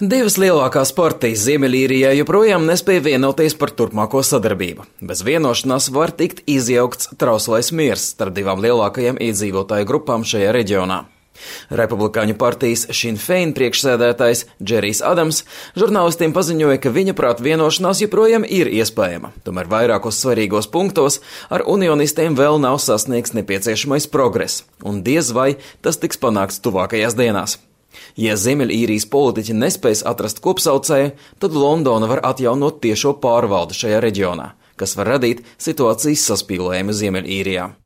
Divas lielākās partijas Ziemeļīrijā joprojām nespēja vienoties par turpmāko sadarbību. Bez vienošanās var tikt izjaukts trauslais miers starp divām lielākajām iedzīvotāju grupām šajā reģionā. Republikāņu partijas Sinn Fein priekšsēdētājs Džerijs Adams žurnālistiem paziņoja, ka viņa prāt vienošanās joprojām ir iespējama. Tomēr vairākos svarīgos punktos ar unionistiem vēl nav sasniegts nepieciešamais progress, un diez vai tas tiks panākts tuvākajās dienās. Ja Ziemeļīrijas politiķi nespēs atrast kopsaucēju, tad Londona var atjaunot tiešo pārvaldi šajā reģionā, kas var radīt situācijas saspīlējumu Ziemeļīrijā.